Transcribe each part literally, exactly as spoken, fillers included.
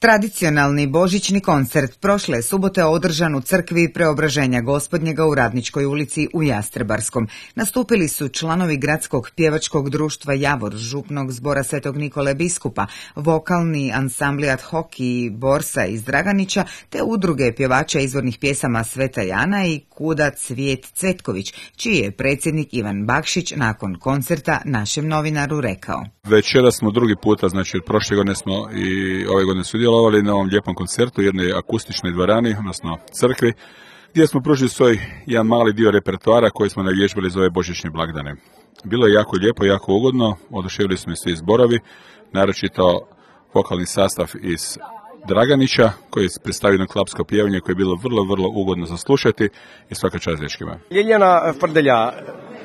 Tradicionalni božićni koncert prošle subote održan u crkvi Preobraženja Gospodnjega u Radničkoj ulici u Jastrebarskom. Nastupili su članovi gradskog pjevačkog društva Javor, župnog zbora Svetog Nikole Biskupa, vokalni ansambli Ad hoc i Borsa iz Draganića, te udruge pjevača izvornih pjesama Sveta Jana i Kuda Cvijet Cvetković, čiji je predsjednik Ivan Bakšić nakon koncerta našem novinaru rekao. Večera smo drugi puta, znači od prošle godine smo i ove godine sudjelovali na ovom lijepom koncertu u jednoj akustičnoj dvorani, odnosno crkvi, gdje smo pružili svoj jedan mali dio repertoara koji smo navježbali za ove božićne blagdane. Bilo je jako lijepo, jako ugodno, oduševili smo i svi zborovi, naročito vokalni sastav iz Draganića, koji je predstavio na klapsko pjevanje koje je bilo vrlo, vrlo ugodno za slušati i svaka čast dečkima. Ljiljana Frdelja,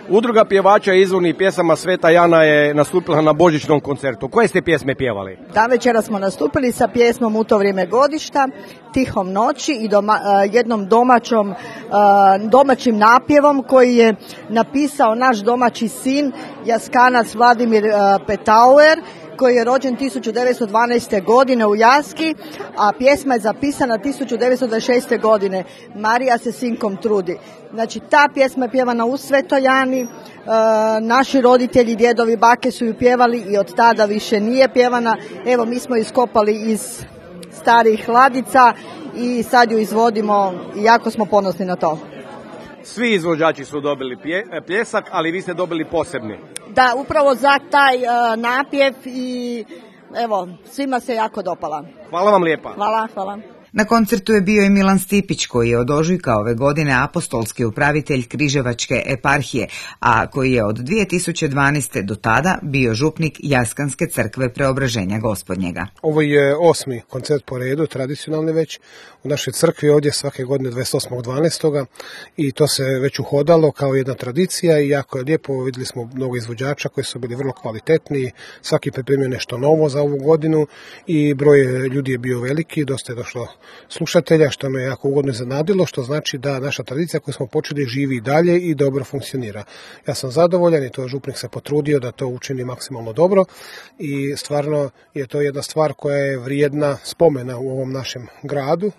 udruga pjevača izvornih pjesama Sveta Jana je nastupila na božićnom koncertu. Koje ste pjesme pjevali? Da, večera smo nastupili sa pjesmom U to vrijeme godišta, Tihom noći i doma, jednom domaćom, domaćim napjevom koji je napisao naš domaći sin, Jaskanac Vladimir Petauer, koji je rođen tisuću devetsto dvanaeste. godine u Jaski, a pjesma je zapisana tisuću devetsto dvadeset šeste. godine. Marija se sinkom trudi. Znači, ta pjesma je pjevana u Svetoj Jani, e, naši roditelji, djedovi, bake su ju pjevali i od tada više nije pjevana. Evo, mi smo iskopali iz starih ladica i sad ju izvodimo i jako smo ponosni na to. Svi izvođači su dobili pje, pljesak, ali vi ste dobili posebni. Da, upravo za taj uh, napjev i evo, svima se jako dopala. Hvala vam lijepa. Hvala, hvala. Na koncertu je bio i Milan Stipić, koji je od ožujka ove godine apostolski upravitelj Križevačke eparhije, a koji je od dvije tisuće dvanaeste. do tada bio župnik Jaskanske crkve Preobraženja Gospodnjega. Ovo je osmi koncert po redu, tradicionalni već, u našoj crkvi ovdje svake godine dvadeset osmog dvanaestog i to se već uhodalo kao jedna tradicija i jako je lijepo. Vidjeli smo mnogo izvođača koji su bili vrlo kvalitetni, svaki pripremio nešto novo za ovu godinu i broj ljudi je bio veliki, dosta je došlo slušatelja, što me jako ugodno iznenadilo, što znači da naša tradicija koju smo počeli živi i dalje i dobro funkcionira. Ja sam zadovoljan i to župnik se potrudio da to učini maksimalno dobro i stvarno je to jedna stvar koja je vrijedna spomena u ovom našem gradu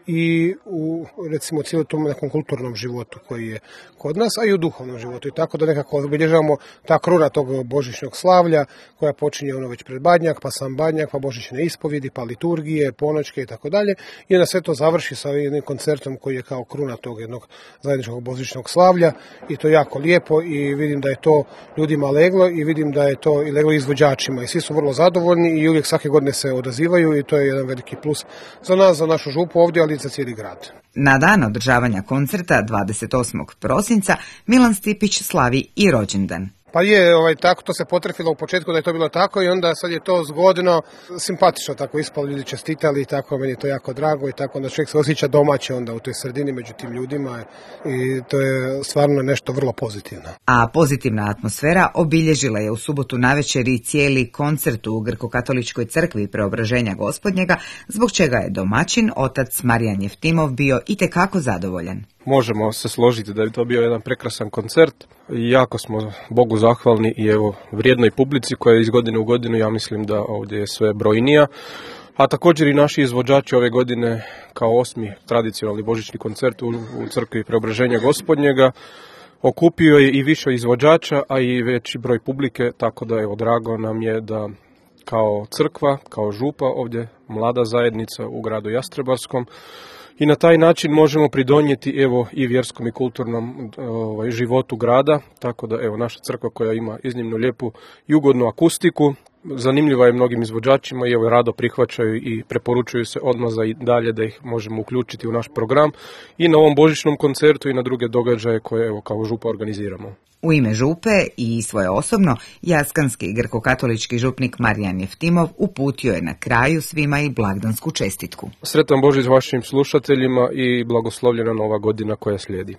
i u, recimo, cijelom tom nekom kulturnom životu koji je kod nas, a i u duhovnom životu. I tako da nekako obilježavamo ta kruna tog božićnog slavlja koja počinje ono već pred Badnjak, pa sam Badnjak, pa božićne ispovjedi, pa liturgije, ponoćke i tako dalje. I onda sve to završi sa jednim koncertom koji je kao kruna tog jednog zajedničkog božićnog slavlja i to je jako lijepo i vidim da je to ljudima leglo i vidim da je to i leglo izvođačima i svi su vrlo zadovoljni i uvijek svake godine se odazivaju i to je jedan veliki plus za nas, za našu župu ovdje, ali za cijeli grad. Na dan održavanja koncerta dvadeset osmog prosinca Milan Stipić slavi i rođendan. Pa je, ovaj, tako to se potrefilo u početku da je to bilo tako i onda sad je to zgodno, simpatično tako ispalo, ljudi čestitali i tako, meni je to jako drago i tako onda čovjek se osjeća domaće onda u toj sredini među tim ljudima i to je stvarno nešto vrlo pozitivno. A pozitivna atmosfera obilježila je u subotu navečer i cijeli koncert u Grko-katoličkoj crkvi Preobraženja Gospodnjega, zbog čega je domaćin, otac Marijan Jeftimov, bio itekako zadovoljan. Možemo se složiti da je to bio jedan prekrasan koncert i jako smo Bogu zahvalni i evo vrijednoj publici koja je iz godine u godinu, ja mislim da ovdje je sve brojnija. A također i naši izvođači ove godine kao osmi tradicionalni božićni koncert u, u crkvi Preobraženja Gospodnjega okupio je i više izvođača, a i veći broj publike, tako da evo drago nam je da kao crkva, kao župa ovdje mlada zajednica u gradu Jastrebarskom i na taj način možemo pridonijeti evo i vjerskom i kulturnom ovaj, životu grada, tako da evo naša crkva koja ima iznimno lijepu i ugodnu akustiku, zanimljiva je mnogim izvođačima i evo rado prihvaćaju i preporučuju se odmah za i dalje da ih možemo uključiti u naš program i na ovom božićnom koncertu i na druge događaje koje evo kao župa organiziramo. U ime župe i svoje osobno, jaskanski grko-katolički župnik Marijan Jeftimov uputio je na kraju svima i blagdansku čestitku. Sretan Božić vašim slušateljima i blagoslovljena nova godina koja slijedi.